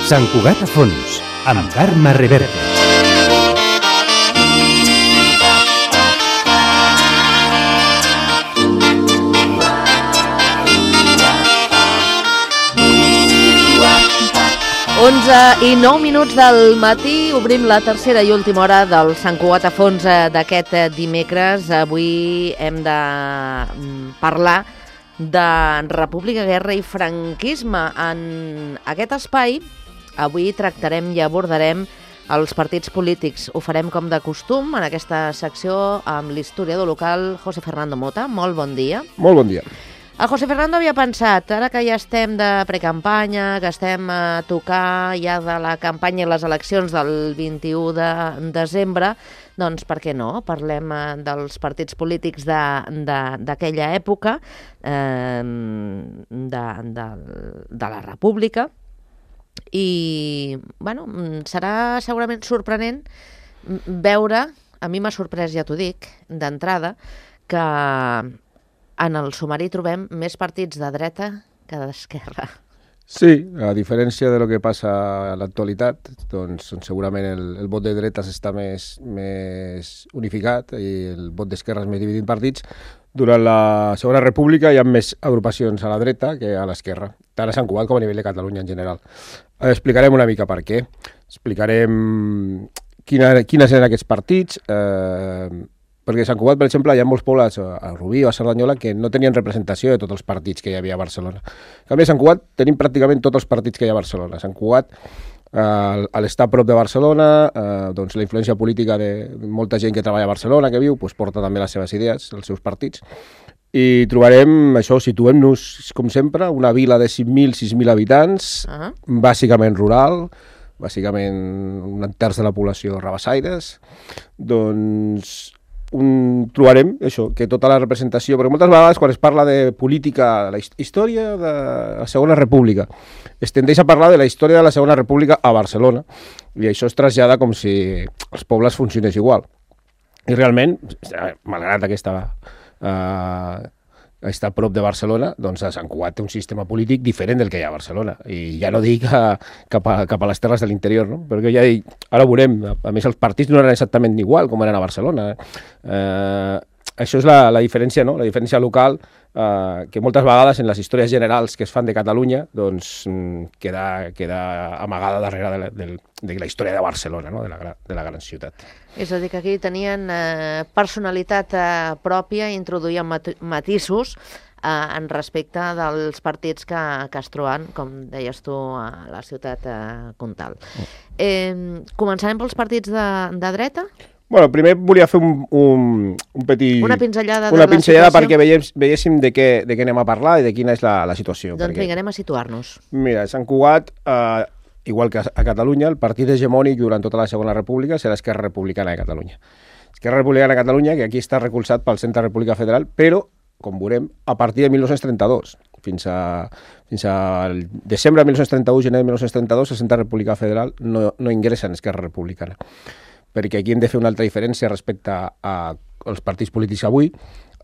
Sant Cugat a fons, amb Carme Reverte. I 9 minuts del matí, obrim la tercera i última hora del Sant Cugat a fons d'aquest dimecres. Avui hem de parlar de República, Guerra i Franquisme. En aquest espai avui tractarem i abordarem els partits polítics. Ho farem com de costum en aquesta secció amb l'historiador local José Fernando Mota. Molt bon dia. Molt bon dia. El José Fernando havia pensat, ara que ja estem de precampanya, que estem a tocar ja de la campanya i les eleccions del 21 de desembre, doncs per què no? Parlem dels partits polítics d'aquella època, de la República, i bueno, serà segurament sorprenent veure, a mi m'ha sorprès, ja t'ho dic, d'entrada, que en el sumari trobem més partits de dreta que d'esquerra. Sí, a diferència de lo que passa a l'actualitat, doncs segurament el vot de dretes està més unificat i el vot d'esquerres més dividit en partits. Durant la Segona República hi ha més agrupacions a la dreta que a l'esquerra, tant a Sant Cugat com a nivell de Catalunya en general. Explicarem una mica per què. Explicarem quines eren aquests partits, perquè a Sant Cugat, per exemple, hi ha molts pobles, a Rubí o a Cerdanyola, que no tenien representació de tots els partits que hi havia a Barcelona. En canvi, a Sant Cugat tenim pràcticament tots els partits que hi ha a Barcelona. A Sant Cugat, a l'estar a prop de Barcelona, doncs la influència política de molta gent que treballa a Barcelona, que viu, doncs porta també les seves idees, els seus partits. I trobarem, això, situem-nos, com sempre, una vila de 5.000, 6.000 habitants, bàsicament rural, bàsicament un terç de la població rabassaires, doncs trobarem això, que tota la representació, perquè moltes vegades quan es parla de política, de la història de la Segona República, es tendeix a parlar de la història de la Segona República a Barcelona, i això es trasllada com si els pobles funcionés igual. I realment, malgrat està a prop de Barcelona, doncs a Sant Cugat té un sistema polític diferent del que hi ha a Barcelona. I ja no dic cap a les terres de l'interior, no? Perquè ja dic, ara ho veurem, a més els partits no eren exactament igual com eren a Barcelona. Això és la diferència, no? La diferència local, que moltes vegades en les històries generals que es fan de Catalunya doncs queda amagada darrere de la història de Barcelona, no? De la gran ciutat. És a dir, que aquí tenien personalitat pròpia i introduïen matisos en respecte dels partits que es troben, com deies tu, a la ciutat comtal. Començarem pels partits de dreta? Bueno, primer volia fer un petit... Una pinzellada perquè veiéssim de què anem a parlar i de quina és la situació. Doncs vinga, anem a situar-nos. Mira, Sant Cugat, igual que a Catalunya, el partit hegemònic durant tota la Segona República serà Esquerra Republicana de Catalunya. Esquerra Republicana de Catalunya, que aquí està recolzat pel Centre República Federal, però, com veurem, a partir de 1932, fins al desembre de 1931, gener de 1932, el Centre República Federal no ingressa en Esquerra Republicana. Perquè aquí hem de fer una altra diferència respecte als partits polítics avui.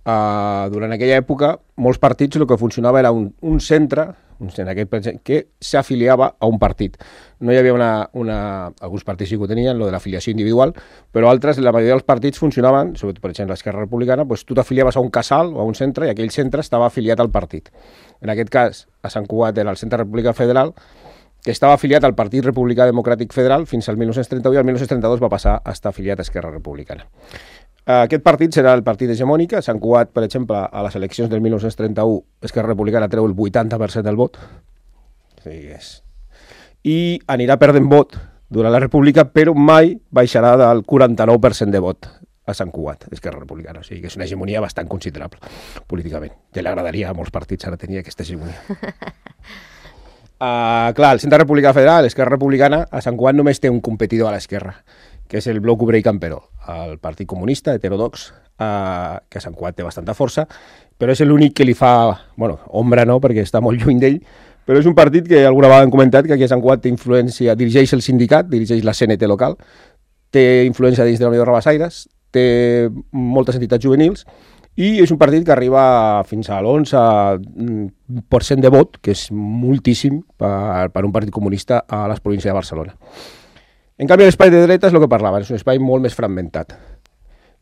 Durant aquella època, molts partits el que funcionava era un centre que s'afiliava a un partit. No hi havia alguns partits sí que ho tenien, lo de l'afiliació individual, però altres, la majoria dels partits funcionaven, sobretot per exemple l'Esquerra Republicana, doncs tu t'afiliaves a un casal o a un centre i aquell centre estava afiliat al partit. En aquest cas, a Sant Cugat era el Centre República Federal, que estava afiliat al Partit Republicà Democràtic Federal fins al 1931 i el 1932 va passar a estar afiliat a Esquerra Republicana. Aquest partit serà el partit hegemònic. A Sant Cugat, per exemple, a les eleccions del 1931, Esquerra Republicana treu el 80% del vot. I anirà perdent vot durant la República, però mai baixarà del 49% de vot a Sant Cugat, Esquerra Republicana. O sigui que és una hegemonia bastant considerable políticament. Ja li agradaria a molts partits ara tenir aquesta hegemonia. Clar, el Centre República Federal, l'Esquerra Republicana, a Sant Cugat només té un competidor a l'esquerra, que és el Bloc Obrer i Camperó, el Partit Comunista heterodox, que a Sant Cugat té bastanta força, però és l'únic que li fa, ombra no, perquè està molt lluny d'ell, però és un partit que alguna vegada hem comentat que aquí a Sant Cugat té influència, dirigeix el sindicat, dirigeix la CNT local, té influència dins de la Unió de Rabassaires, té moltes entitats juvenils i és un partit que arriba fins a l'11% de vot, que és moltíssim per un partit comunista a les províncies de Barcelona. En canvi, l'espai de dreta és el que parlava, és un espai molt més fragmentat.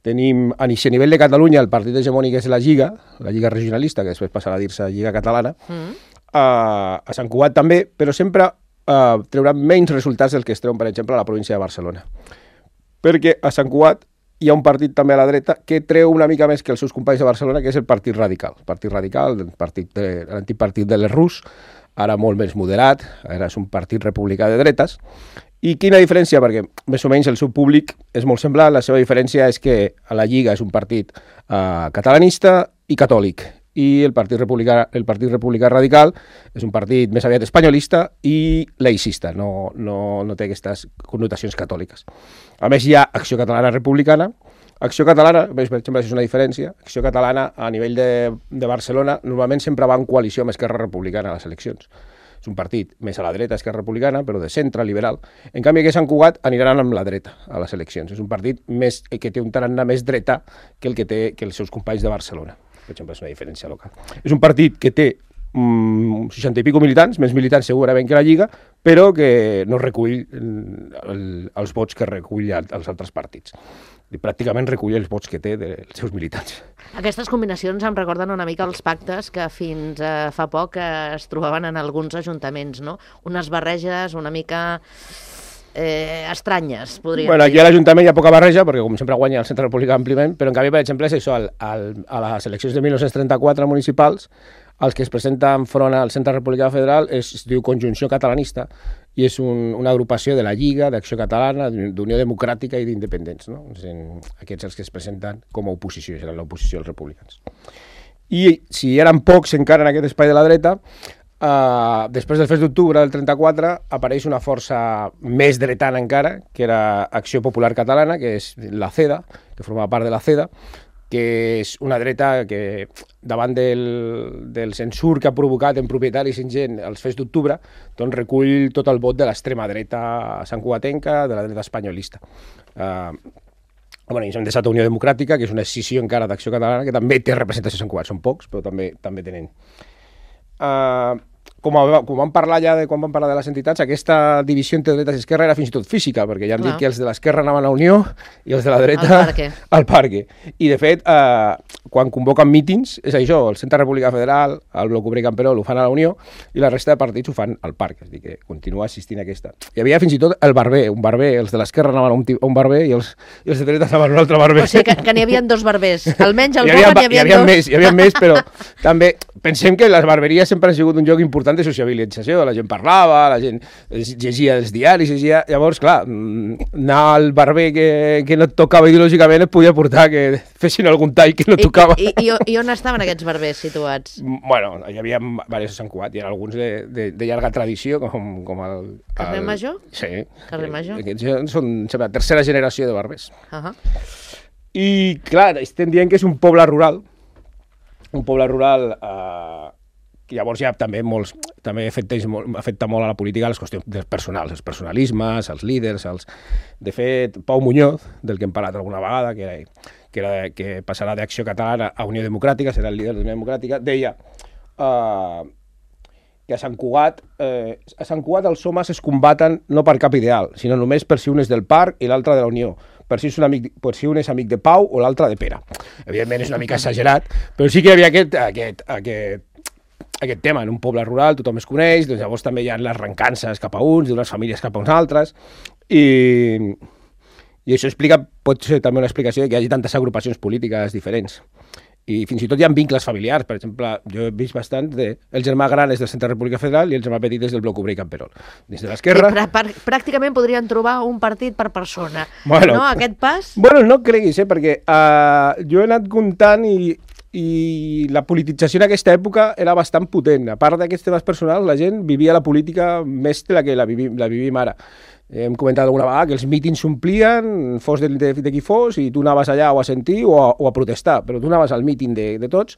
Tenim, a nivell de Catalunya, el partit hegemònic és la Lliga regionalista, que després passarà a dir-se Lliga Catalana, a Sant Cugat també, però sempre trauran menys resultats del que es treuen, per exemple, a la província de Barcelona. Perquè a Sant Cugat hi ha un partit també a la dreta que treu una mica més que els seus companys de Barcelona, que és el Partit Radical. El Partit Radical, l'antic partit de l'Errús, ara molt més moderat, ara és un partit republicà de dretes. I quina diferència? Perquè més o menys el seu públic és molt semblant. La seva diferència és que a la Lliga és un partit catalanista i catòlic, i el Partit Republicà Radical és un partit més aviat espanyolista i laicista, no té aquestes connotacions catòliques. A més, hi ha Acció Catalana Republicana. Acció Catalana, per exemple, és una diferència. Acció Catalana, a nivell de Barcelona, normalment sempre va en coalició amb Esquerra Republicana a les eleccions. És un partit més a la dreta, Esquerra Republicana, però de centre, liberal. En canvi, aquí a Sant Cugat aniran amb la dreta a les eleccions. És un partit que té un tarannà més dreta que el que té els seus companys de Barcelona. Per exemple, és una diferència local. És un partit que té 60 i pico militants, més militants segurament que la Lliga, però que no recull els vots que recull els altres partits. I pràcticament recull els vots que té dels seus militants. Aquestes combinacions em recorden una mica els pactes que fins fa poc es trobaven en alguns ajuntaments, no? Unes barreges una mica estranyes, podríem dir. Aquí a l'Ajuntament hi ha poca barreja, perquè com sempre guanya el Centre Republicà àmpliament, però en canvi, per exemple, és això, a les eleccions de 1934 municipals, els que es presenten front al Centre Republicà Federal es diu Conjunció Catalanista, i és una agrupació de la Lliga, d'Acció Catalana, d'Unió Democràtica i d'Independents, no? Aquests els que es presenten com a oposició, seran l'oposició als republicans. I si eren pocs encara en aquest espai de la dreta, després del fest d'octubre del 34 apareix una força més dretana encara, que era Acció Popular Catalana, que és la CEDA, que formava part de la CEDA, que és una dreta que davant del censur que ha provocat en propietaris i en gent els fets d'octubre, doncs recull tot el vot de l'extrema dreta santcugatenca, de la dreta espanyolista. I s'han deixat Unió Democràtica, que és una escissió encara d'Acció Catalana, que també té representació a Sant Cugat, són pocs, però també tenen. Com vam parlar ja quan vam parlar de les entitats, aquesta divisió entre dretes i esquerra era fins i tot física, perquè ja hem dit que els de l'esquerra anaven a Unió i els de la dreta al Parque. I de fet, quan convoquen mítings, és això, el Centre Republicà Federal, el Bloc Obrer Camperol ho fan a la Unió i la resta de partits ho fan al Parque, és a dir, que continua assistint a aquesta. Hi havia fins i tot el barber, un barber, els de l'esquerra anaven a un barber i els de dreta anaven a un altre barber. O sigui que n'hi havia dos barbers, almenys al poble n'hi havia dos. Hi havia més, però també pensem que les barberies sempre han sigut un lloc important de sociabilització, la gent parlava, la gent llegia els diaris, llavors, clar, anar al barber que no et tocava ideològicament et podia portar que fessin algun tall que no tocava. I on estaven aquests barbers situats? Bueno, hi havia diversos a Sant Cugat, hi ha alguns de llarga tradició, com el... Carrer Major? Sí. Carrer Major? Aquests són la tercera generació de barbers. I, clar, estem dient que és un poble rural, que llavors ja també afecta molt a la política les qüestions personals, els personalismes, els líders, De fet, Pau Muñoz, del que hem parlat alguna vegada, que passarà d'Acció Catalana a Unió Democràtica, serà el líder d'Unió Democràtica, deia que a Sant Cugat els homes es combaten no per cap ideal, sinó només per si un és del Parc i l'altre de la Unió, per si un és amic de Pau o l'altre de Pere. Evidentment és una mica exagerat, però sí que hi havia aquest tema, en un poble rural tothom es coneix, doncs llavors també hi ha les rencances cap a uns, d'unes famílies cap a uns altres, i això pot ser també una explicació de que hi hagi tantes agrupacions polítiques diferents. I fins i tot hi ha vincles familiars, per exemple, jo he vist bastant el germà gran és del Centre Republicà Federal i el germà petit és del Bloc Obrer Camperol. Dins de l'esquerra... Pràcticament podrien trobar un partit per persona, no? Aquest pas? Bueno, no creguis, perquè jo he anat comptant i la politització en aquesta època era bastant potent. A part d'aquests temes personals, la gent vivia la política més de la que la vivim ara. Hem comentat alguna vegada que els mítings s'omplien, fos de qui fos, i tu anaves allà o a sentir o a protestar, però tu anaves al míting de tots.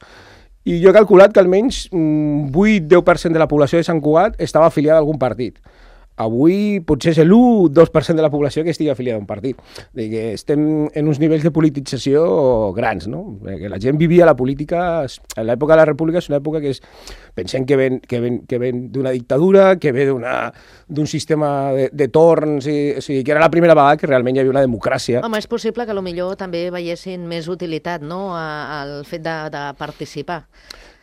I jo he calculat que almenys un 8-10% de la població de Sant Cugat estava afiliada a algun partit. avui potser és l'1-2% de la població que estigui afiliada a un partit. Que estem en uns nivells de politització grans, no? Que la gent vivia la política... En l'època de la República és una època que pensem que ven d'una dictadura, que ve d'un sistema de torns, o sigui, que era la primera vegada que realment hi havia una democràcia. Home, és possible que potser també veiessin més utilitat, no?, al fet de participar.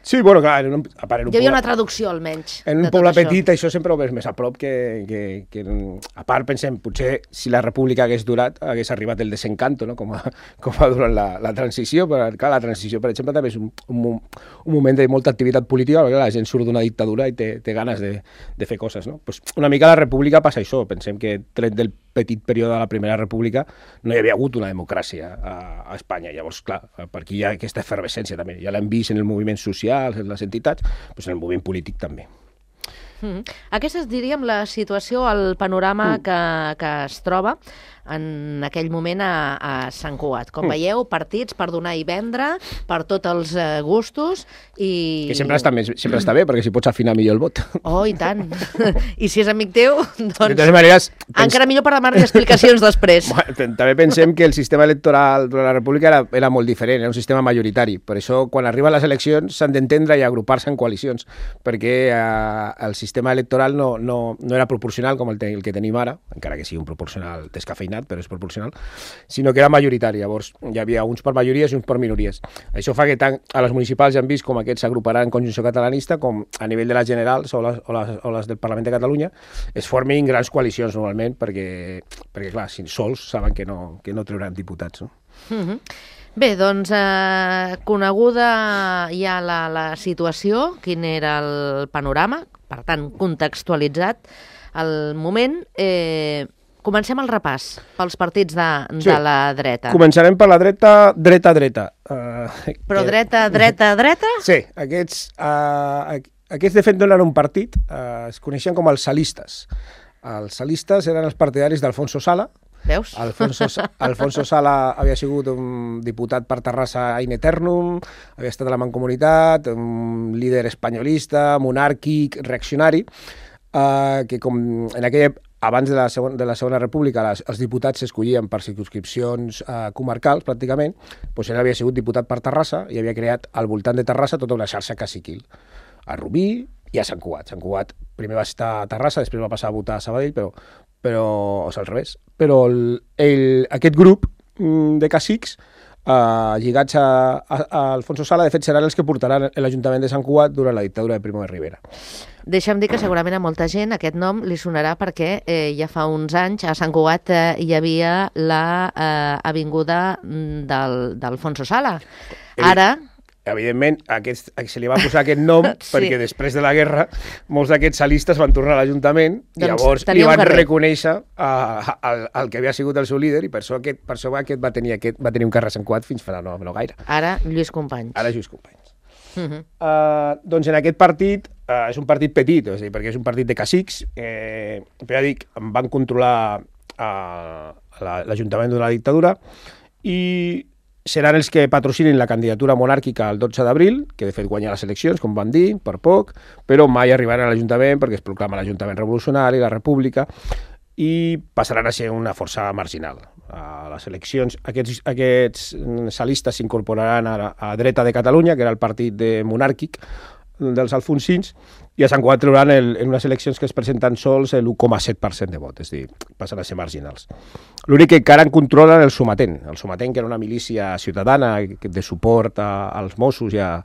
Sí, bueno, clar, hi havia una traducció, almenys. En un poble petit això sempre ho veus més a prop que... A part, pensem, potser si la república hagués durat, hagués arribat el desencanto, no?, com a durant la transició, però clar, la transició, per exemple, també és un moment de molta activitat política, perquè la gent surt d'una dictadura i té ganes de fer coses, no? Pues una mica a la república passa això, pensem que tret del petit període de la Primera República no hi havia hagut una democràcia a Espanya. Llavors, clar, per aquí hi ha aquesta efervescència també. Ja l'hem vist en el moviment social, en les entitats, doncs en el moviment polític també. Aquesta és, diríem, la situació, el panorama que es troba en aquell moment a Sant Cugat. Com veieu, partits per donar i vendre, per tots els gustos i... Que sempre està bé, perquè si pots afinar millor el vot. Oh, i tant. I si és amic teu, doncs... De totes maneres... Encara millor per demanar explicacions després. També pensem que el sistema electoral durant la República era molt diferent, era un sistema majoritari. Per això, quan arriben les eleccions, s'han d'entendre i agrupar-se en coalicions, perquè el sistema electoral no era proporcional com el que tenim ara, encara que sigui un proporcional descafeinat, però és proporcional, sinó que era majoritari. Llavors, hi havia uns per majories i uns per minories. Això fa que tant a les municipals ja han vist com aquests s'agruparan en conjunció catalanista, com a nivell de les generals o les del Parlament de Catalunya es formin grans coalicions normalment, perquè clar, si sols saben que no trauran diputats, no? Bé, doncs, coneguda ja la situació, quin era el panorama, per tant, contextualitzat el moment, comencem el repàs pels partits de la dreta. Començarem per la dreta. Però dreta? Sí, aquests de fet no eren un partit, es coneixien com els salistes. Els salistes eren els partidaris d'Alfonso Sala. Veus? Alfonso Sala havia sigut un diputat per Terrassa in eternum, havia estat a la Mancomunitat, un líder espanyolista, monàrquic, reaccionari, que com en aquella abans de la Segona República els diputats s'escollien per circumscripcions comarcals, pràcticament, doncs ell havia sigut diputat per Terrassa i havia creat al voltant de Terrassa tota una xarxa caciquil. A Rubí i a Sant Cugat. Sant Cugat primer va estar a Terrassa, després va passar a votar a Sabadell, però o sigui, al revés. Però aquest grup de cacics lligats a Alfonso Sala, de fet, seran els que portaran l'Ajuntament de Sant Cugat durant la dictadura de Primo de Rivera. Deixa'm dir que segurament a molta gent aquest nom li sonarà perquè ja fa uns anys a Sant Cugat hi havia l'avinguda d'Alfonso Sala. Ara... Evidentment, se li va posar aquest nom perquè després de la guerra molts d'aquests salistes van tornar a l'Ajuntament i llavors li van reconèixer el que havia sigut el seu líder i per això aquest va tenir un carrer a Sant Cugat fins fa no gaire. Ara Lluís Companys. Doncs en aquest partit és un partit petit, és a dir, perquè és un partit de cacics, però ja dic, van controlar l'Ajuntament de la dictadura i seran els que patrocinin la candidatura monàrquica el 12 d'abril, que de fet guanya les eleccions, com van dir, per poc, però mai arribaran a l'Ajuntament perquè es proclama l'Ajuntament revolucionari, la República, i passaran a ser una força marginal. A les eleccions, aquests salistes s'incorporaran a Dreta de Catalunya, que era el partit monàrquic dels alfonsins, i a Sant Cugat trauran en unes eleccions que es presenten sols l'1,7% de vot, és a dir, passen a ser marginals. L'únic que encara en controlen el Sometent, que era una milícia ciutadana de suport als Mossos i a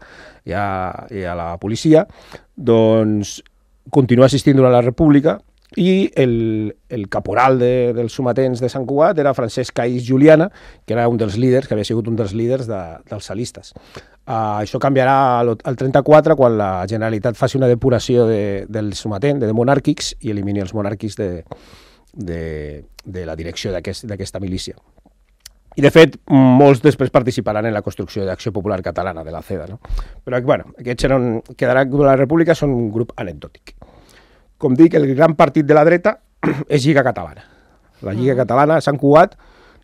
la policia, doncs continua assistint durant la República i el caporal dels sometents de Sant Cugat era Francesc Caís Juliana, que era un dels líders, que havia sigut un dels líders dels salistes. Això canviarà al 34 quan la Generalitat faci una depuració del sometent, de monàrquics, i elimini els monàrquics de la direcció d'aquesta milícia. I, de fet, molts després participaran en la construcció d'Acció Popular Catalana, de la CEDA, no? Però, bueno, aquests quedaran de la República, són un grup anecdòtic. Com dic, el gran partit de la dreta és Lliga Catalana. La Lliga Catalana, Sant Cugat,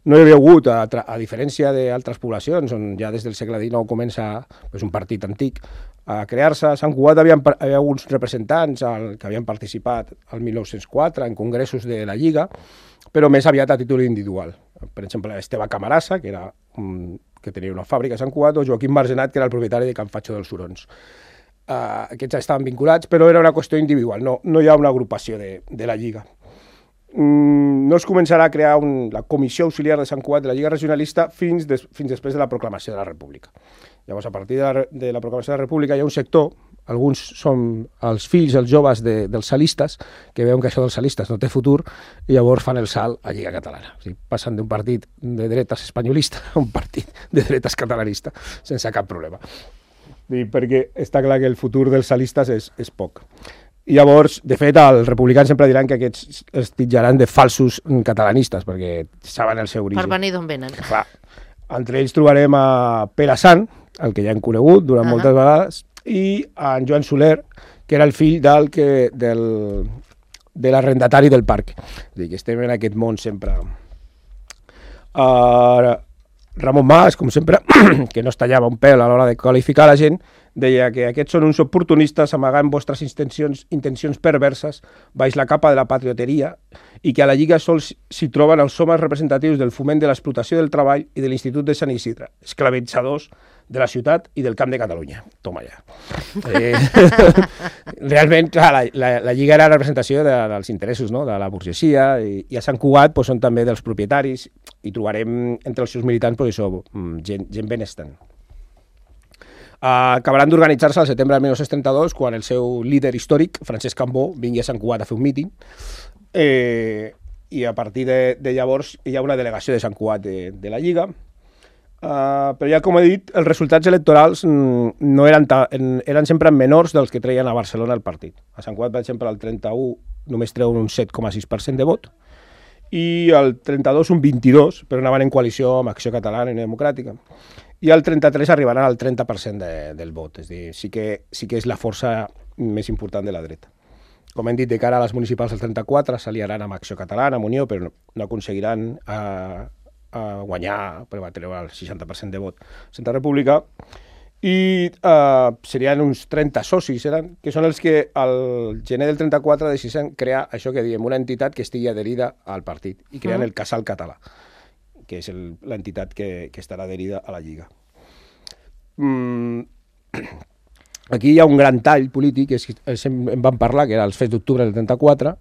no hi havia hagut, a diferència d'altres poblacions, on ja des del segle XIX comença un partit antic a crear-se. A Sant Cugat hi havia alguns representants que havien participat al 1904 en congressos de la Lliga, però més aviat a títol individual. Per exemple, Esteve Camarasa, que tenia una fàbrica a Sant Cugat, o Joaquim Margenat, que era el propietari de Can Fatxo dels Hurons. Aquests estaven vinculats, però era una qüestió individual, no hi ha una agrupació de la Lliga. No es començarà a crear la Comissió Auxiliar de Sant Cugat de la Lliga Regionalista fins després de la proclamació de la República. Llavors, a partir de la proclamació de la República hi ha un sector, alguns són els fills, els joves dels salistes, que veuen que això dels salistes no té futur, i llavors fan el salt a Lliga Catalana. O sigui, passen d'un partit de dretes espanyolista a un partit de dretes catalanista, sense cap problema. Perquè està clar que el futur dels salistes és poc. I llavors, de fet, els republicans sempre diran que aquests es titjaran de falsos catalanistes, perquè saben el seu origen. Per venir d'on venen. Clar. Entre ells trobarem a Pere Sant, el que ja hem conegut durant moltes vegades, i a en Joan Soler, que era el fill de l'arrendatari del parc. És a dir, que estem en aquest món sempre. Ramon Mas, com sempre, que no es tallava un pèl a l'hora de qualificar la gent, deia que aquests són uns oportunistes amagant vostres intencions perverses baix la capa de la patrioteria i que a la Lliga sols s'hi troben els homes representatius del foment de l'explotació del treball i de l'Institut de Sant Isidre, esclavitzadors de la ciutat i del Camp de Catalunya. Toma ja. Realment, clar, la Lliga era la representació dels interessos, no?, de la burgesia, i a Sant Cugat són també dels propietaris, i trobarem entre els seus militants gent benestant. Acabaran d'organitzar-se al setembre del 1932, quan el seu líder històric, Francesc Cambó, vingui a Sant Cugat a fer un míting, i a partir de llavors hi ha una delegació de Sant Cugat de la Lliga, però ja com he dit, els resultats electorals no eren sempre menors dels que treien a Barcelona el partit. A Sant Cugat, per exemple, el 31 només treuen un 7,6% de vot, i el 32 un 22%, però anaven en coalició amb Acció Catalana i Democràtica. I el 33 arribaran al 30% del vot, és a dir, sí que és la força més important de la dreta. Com hem dit, de cara a les municipals del 34 s'aliaran amb Acció Catalana, amb Unió, però no aconseguiran guanyar, però va treure el 60% de vot Santa República, i serien uns 30 socis, que són els que al gener del 34 decideixen crear això que diem, una entitat que estigui adherida al partit, i creen el Casal Català, que és l'entitat que estarà adherida a la Lliga. Aquí hi ha un gran tall polític, en vam parlar, que era els fets d'octubre del 34,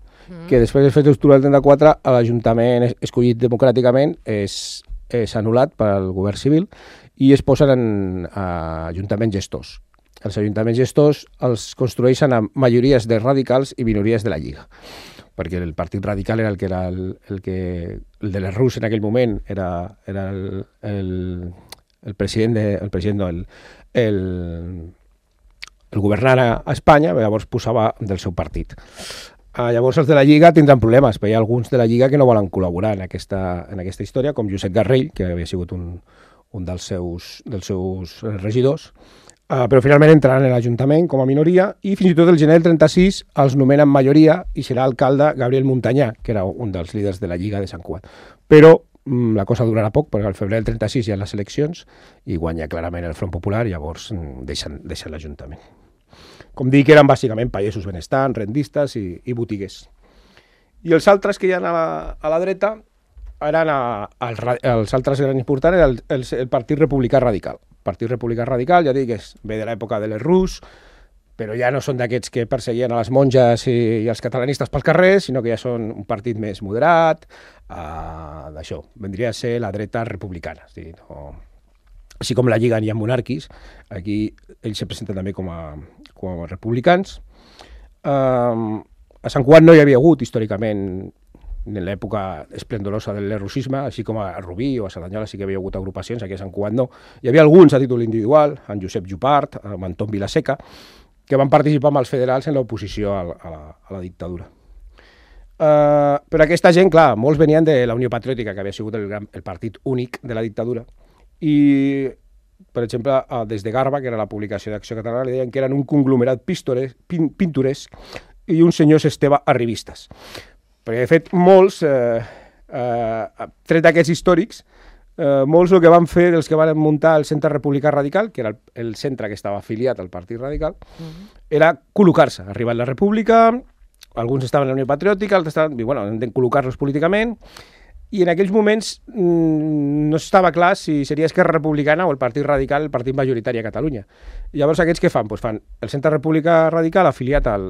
que després dels fets d'octubre del 34 l'Ajuntament escollit democràticament és anul·lat pel govern civil i es posen en ajuntaments gestors. Els ajuntaments gestors els construeixen amb majories de radicals i minories de la Lliga, perquè el Partit Radical era el de les Rus en aquell moment, era el governant a Espanya, llavors posava del seu partit. Llavors els de la Lliga tindran problemes, perquè hi ha alguns de la Lliga que no volen col·laborar en aquesta història, com Josep Garrell, que havia sigut un dels seus regidors, però finalment entraran en l'Ajuntament com a minoria, i fins i tot el gener del 36 els nomenen majoria i serà alcalde Gabriel Muntanyà, que era un dels líders de la Lliga de Sant Cugat. Però la cosa durarà poc, perquè al febrer del 36 hi ha les eleccions i guanya clarament el Front Popular, i llavors deixen l'Ajuntament. Com dic, eren bàsicament pagesos benestants, rendistes i botiguers. I els altres que hi ha a la dreta, els altres grans importants, era el Partit Republicà Radical. El Partit Republicà Radical, ja dic, ve de l'època de les Rus, però ja no són d'aquests que perseguien a les monges i els catalanistes pels carrers, sinó que ja són un partit més moderat, d'això, vendria a ser la dreta republicana. Així com la Lliga hi ha monàrquics, aquí ells se presenten també com a republicans. A Sant Cugat no hi havia hagut històricament, en l'època esplendorosa del lerrussisme, així com a Rubí o a Cerdanyola sí que hi havia hagut agrupacions, aquí a Sant Cugat no. Hi havia alguns a títol individual, en Josep Jupart, en Anton Vilaseca, que van participar amb els federals en l'oposició a la dictadura. Però aquesta gent, clar, molts venien de la Unió Patriòtica, que havia sigut el partit únic de la dictadura, i, per exemple, des de Garba, que era la publicació d'Acció Catalana, li deien que eren un conglomerat pintoresc i uns senyors Esteve arribistes. Perquè, de fet, molts Tret d'aquests històrics, molts el que van fer els que van muntar el Centre Republicà Radical, que era el centre que estava afiliat al Partit Radical, era col·locar-se. Arribat la República, alguns estaven a la Unió Patriòtica, altres estaven, i bueno, hem de col·locar-los políticament, i en aquells moments no estava clar si seria Esquerra Republicana o el Partit Radical, el partit majoritari a Catalunya. I llavors aquests què fan? Pues fan el Centre Republicà Radical afiliat al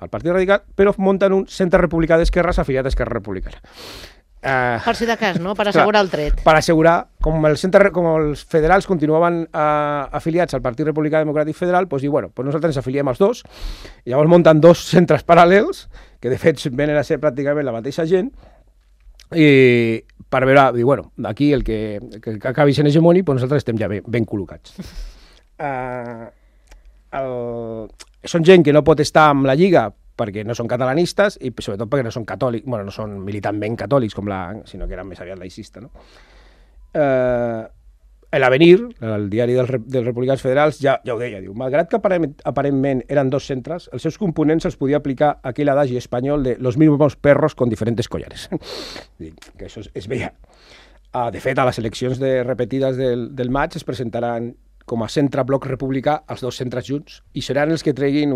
Partit Radical, però munten un Centre Republicà d'Esquerres afiliat a Esquerra Republicana. Per si de cas, no? Per assegurar el tret. Per assegurar, com els federals continuaven afiliats al Partit Republicà Democràtic Federal, doncs diu, bueno, doncs nosaltres ens afiliem als dos, i llavors munten dos centres paral·lels, que de fet venen a ser pràcticament la mateixa gent, i per veure, diu, bueno, aquí el que acabi sent hegemònic, doncs nosaltres estem ja ben col·locats. Són gent que no pot estar amb la Lliga perquè no són catalanistes i sobretot perquè no són catòlics, bueno, no són militantment catòlics, sinó que eren més aviat laïcistes, no? L'Avenir, el diari dels Republicans Federals, ja ho deia, diu, malgrat que aparentment eren dos centres, els seus components els podia aplicar aquell adagi espanyol de los mismos perros con diferentes collares. Que això es veia. De fet, a les eleccions repetides del maig es presentaran com a centre-bloc republicà els dos centres junts, i seran els que treguin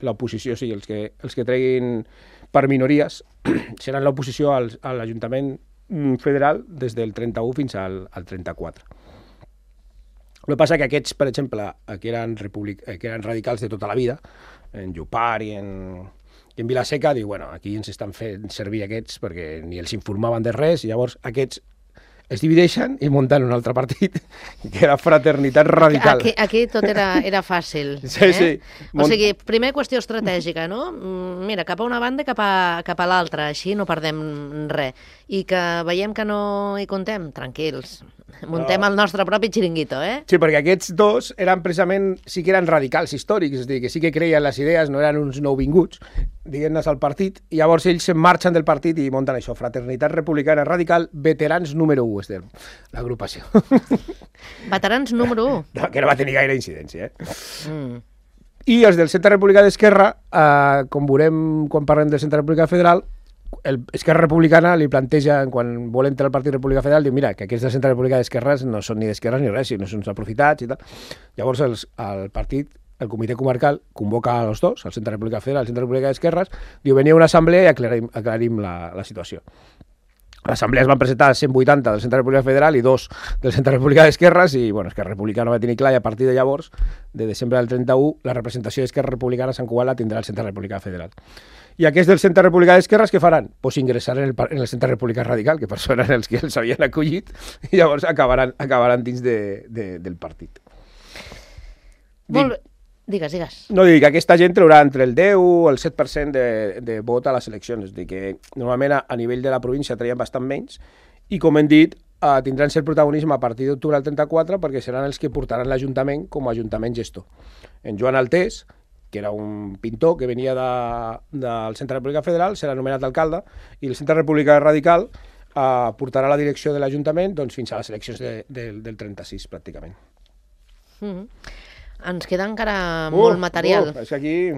l'oposició, o sigui, els que treguin per minories, seran l'oposició a l'Ajuntament federal des del 31 fins al 34. El que passa que aquests, per exemple, que eren radicals de tota la vida, en Llopar i en Vilaseca, diu, bueno, aquí ens estan fent servir aquests perquè ni els informaven de res, i llavors aquests es divideixen i munten un altre partit, que era Fraternitat Radical. Aquí tot era fàcil. Sí, sí. O sigui, primer qüestió estratègica, no? Mira, cap a una banda i cap a l'altra, així no perdem res. I que veiem que no hi contem, tranquils. Muntem el nostre propi xiringuito, eh? Sí, perquè aquests dos eren precisament, sí que eren radicals històrics, és a dir, que sí que creien les idees, no eren uns nouvinguts, diguem-ne, al partit, i llavors ells se'n marxen del partit i munten això, Fraternitat Republicana Radical, veterans número 1, és l'agrupació. Veterans número 1? No, que no va tenir gaire incidència, I els del Centre Republicà d'Esquerra, com veurem quan parlem del Centre Republicà Federal, Esquerra Republicana li planteja, quan vol entrar al Partit Republicà Federal, diu, mira, que aquests del Centre Republicà d'Esquerres no són ni d'esquerres ni res, sinó són uns aprofitats i tal. Llavors el partit, el comitè comarcal, convoca a els dos, el Centre Republicà Federal i el Centre Republicà d'Esquerres, diu, veniu a una assemblea i aclarim la situació. A l'assemblea es van presentar 180 del Centre Republicà Federal i 2 del Centre Republicà d'Esquerres i, bueno, Esquerra Republicana no va tenir clar i a partir de llavors, de desembre del 31, la representació d'Esquerra Republicana a Sant Cugat la tindrà el Centre Republicà Federal. I aquests del Centre Republicà d'Esquerres què faran? Pues ingressar en el Centre Republicà Radical, que per això eren els que els havien acollit, i llavors acabaran dins del partit. Digues. No, dic que aquesta gent traurà entre el 10 o el 7% de vot a les eleccions, és a dir, que normalment a nivell de la província traien bastant menys, i com hem dit, tindran cert protagonisme a partir d'octubre del 34 perquè seran els que portaran l'Ajuntament com a Ajuntament gestor. En Joan Altés, que era un pintor que venia del Centre Republicà Federal, serà nomenat alcalde, i el Centre Republicà Radical portarà la direcció de l'Ajuntament fins a les eleccions del 36, pràcticament. Ens queda encara molt material. És que aquí,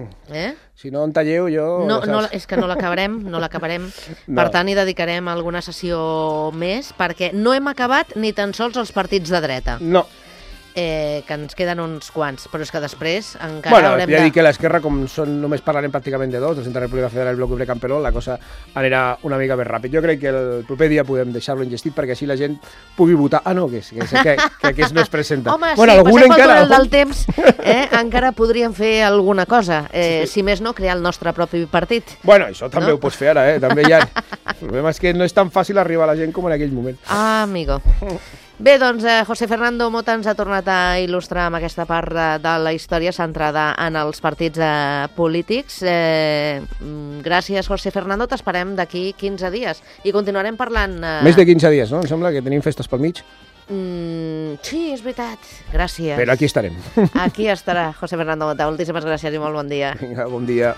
si no en talleu, jo... No, és que no l'acabarem. Per tant, hi dedicarem alguna sessió més, perquè no hem acabat ni tan sols els partits de dreta. No. Que ens queden uns quants, però és que després encara haurem de... Ja dic que l'esquerra, com només parlarem pràcticament de dos, del Centre Republicà Federal i el Bloc Obrer Camperol, la cosa anirà una mica més ràpid. Jo crec que el proper dia podem deixar-lo enllestit perquè així la gent pugui votar. Ah, no, que aquest no es presenta. Home, sí, passem pel túnel del temps, encara podríem fer alguna cosa. Si més no, crear el nostre propi partit. Bueno, això també ho pots fer ara, també hi ha... El problema és que no és tan fàcil arribar a la gent com en aquell moment. Ah, amigo. Bé, doncs, José Fernando Mota ens ha tornat a il·lustrar amb aquesta part de la història centrada en els partits polítics. Gràcies, José Fernando. T'esperem d'aquí 15 dies i continuarem parlant... Més de 15 dies, no? Em sembla que tenim festes pel mig. Sí, és veritat. Gràcies. Però aquí estarem. Aquí estarà José Fernando Mota. Moltíssimes gràcies i molt bon dia. Vinga, bon dia.